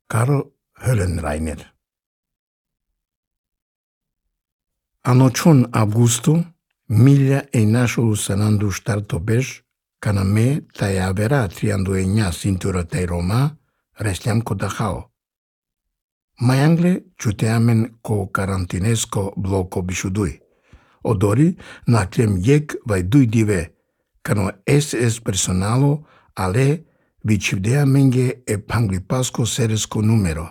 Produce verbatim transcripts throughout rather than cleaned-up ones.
Karl Höllenreiner. Anoĉon aŭgusto mille einaŝolusanandu ŝtartobeŝ kaname taj avera trianduenja cintura taj Roma restiam Kodaĥao. Mayangle ĉuteamen ko karantinesko bloko biŝudui. Odori naklem jek vai dui dive kano es es personalo ale viĉivdeamenge e panglipasko seresko numero.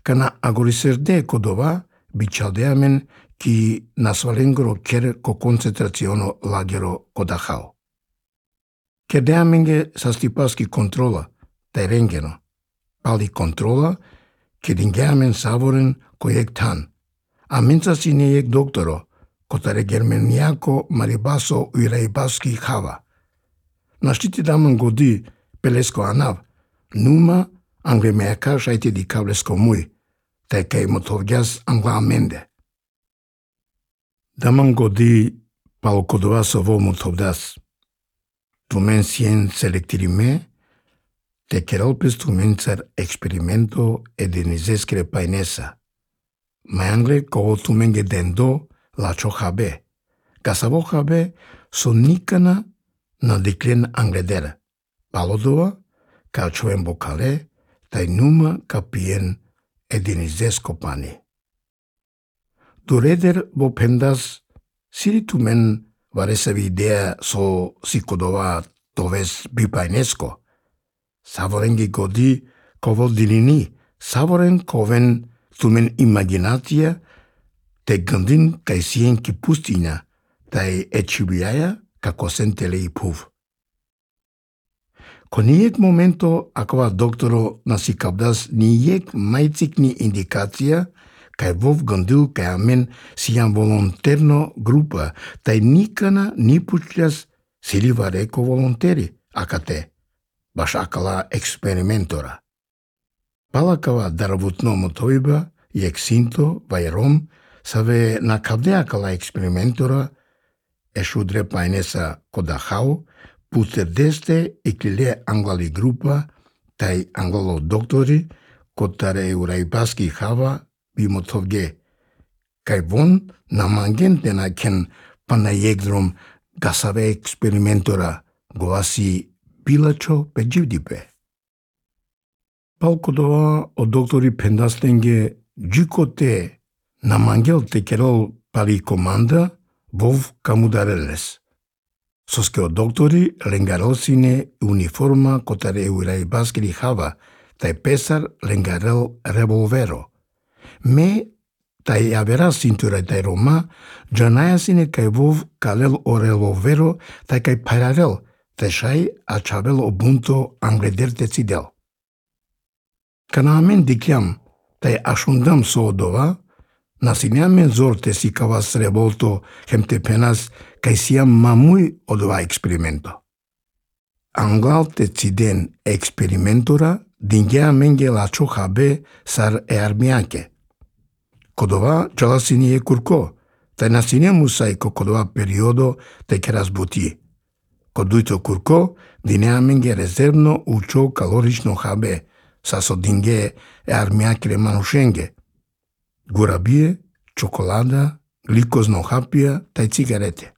Kana agoriserde Kodova biĉaldeamen ki nasvalengro ker ko koncentraciono lagero Kodaĥao. Kedeamenge sastipaski kontrola taj rengeno. Pali kontrola kedingeamen savoren kojek tan. Amencasine jek doktoro kotare germaniako maribaso uiraibaski hava. Naŝtiti daman godi pelesko anav, numa anglemeaka šaite di kablesko mui, taj kaj motovgas angla amende. Daman godi pal Kodova sovo motovdas. Tumen sien selektirime, te keralpes tumen car experimento edenizeskre painesa. Mayangle kovo tumenge dendo lacho habe. Kasavo habe sonikana na diklen angledera. Palodova, kalchoen bokale, taj numa kapien edinizesko pani. Dureder bo pendas siri tumen varesavi idea so si Kodova toves bipainesko. Savorengi godi kovo dilini, savoren koven tumen imaginatia te gandin kaj sien ki pustina, taj eĉibiaja kako sentelei puv. Koniek momento akva doktoro nasikabdas nijek majcik ni indikacia kaj vov gandil kaj amen sian volonterno grupa taj nikana ni puĉas sili vareko volonteri akate baš akala eksperimentora. Palakava daravutno motoiba jek sinto vai rom save nakavde akala eksperimentora eŝudre painesa Kodaĥao puterdeste eklile anglali grupa taj anglalo doktori kotare euraibaski hava bimotovge kaj von namangentena ken panajegdrom gasave eksperimentora goasi bilacho pejivdipe. Pal Kodova o doktori pendastenge jikote namangel tekerol pali komanda vov kamudareles. Soske o doktori lengarelsine uniforma kotare euraibaskri hava taj pesar lengarel revolvero. Me taj avera cintura taj Roma ĝanajasine kaj vov kalel o revolvero taj kaj paralel taj ŝaj aĉavel o bunto angleder decidel. Kana amen dikjam taj aŝundam soodova, nasineamen zorte si kavas revolto hemtepenas kaj siam mamui odova experimento. Anglal deciden experimentora dingeamenge laĉo habe sar earmiake. Kodova ĉalasine kurko, taj nasine musaj ko Kodova periodo te keras buti. Koduito kurko dineamenge rezervno uĉo kalorično habe saso dinge earmiakre manuŝenge. Gurabie, chocolada, glikozno hapia taj cigarete.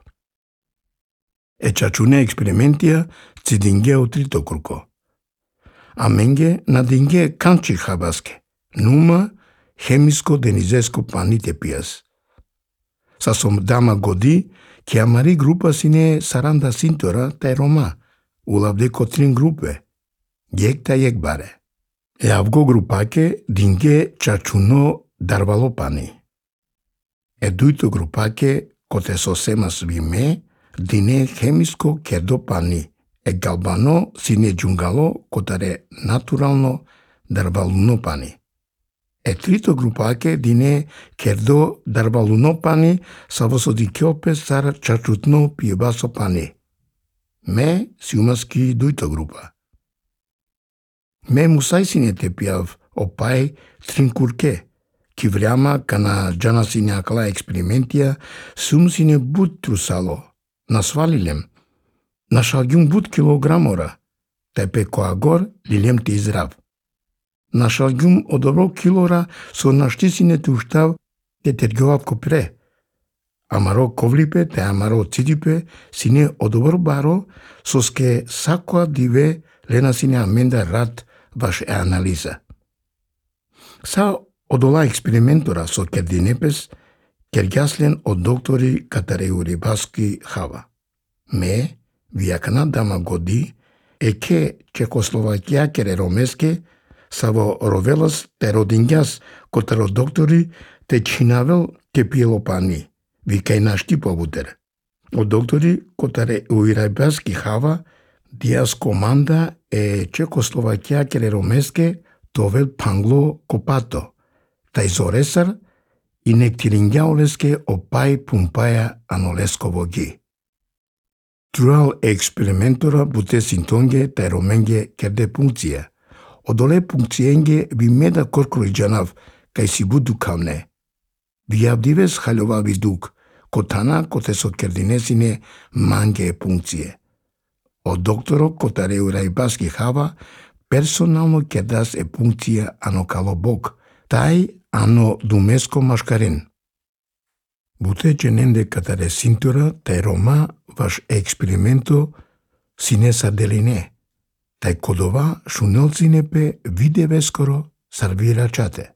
Eĉaĉune eksperimentia cidinge otrito kurko. Amenge nadinge kanĉi habaske, numa chemisko denizesko panite pias. Sasom dama godi kiamari grupa sine saranda cintura taj Roma, ulabde kotrin grupe, jek taj jek bare. Eavgo grupake dinge ĉaĉuno darvalopani. Eduito grupake kote sosemas vime dine chemisko kerdopani e galbano sine ĝungalo kotare naturalno darvalunopani. E trito grupake dine kerdo darvalunopani savosodikiope sar ĉaĉutno piebasopani. Me siumaski duito grupa. Me musai sine tepiav opai trinkurke, ki vreama kana ĝana sine akala eksperimentia sum sine but trusalo, nasvalilem, naŝalgjum but kilogramora, taj pe koagor lilem te izrav. На шалгум одобро килора со наштисине туштав те тергјовав копре. Амаро ковлипе те амаро цидипе сине одобро баро соске сакоа диве лена сине аменда рад ваш е анализа. Са одола експериментора со кердинепес кергјаслен од доктори Катареури Баски Хава. Ме, вијакана дама годи, е ке Чекословакија кере ромеске, са во ровелас те родингјас котаро доктори те чинавел ке пиелопани, викај нашти повутер. Од доктори котаре Уирај Баски Хава, диас команда е Чекословакија кере ромеске товел пангло копато, тај зоресар и нектирингјаолеске опај пумпаја анолесково ги. Труал експериментора буте синтонге тај роменге керде пункција. Одоле пункциенге ви меда корколиджанав кај си буду камне. Вијавдивес халјова видук, котана коте со кердинесине манге пункције. Од докторо котаре Уирај Баски Хава персонално кердас е пункција ано калобок, тај ано думеско машкарен. Буте чененде катаре синтора тај рома ваш експерименто сине сарделине, тај кодова шунелцинепе видеве скоро сарвира чате.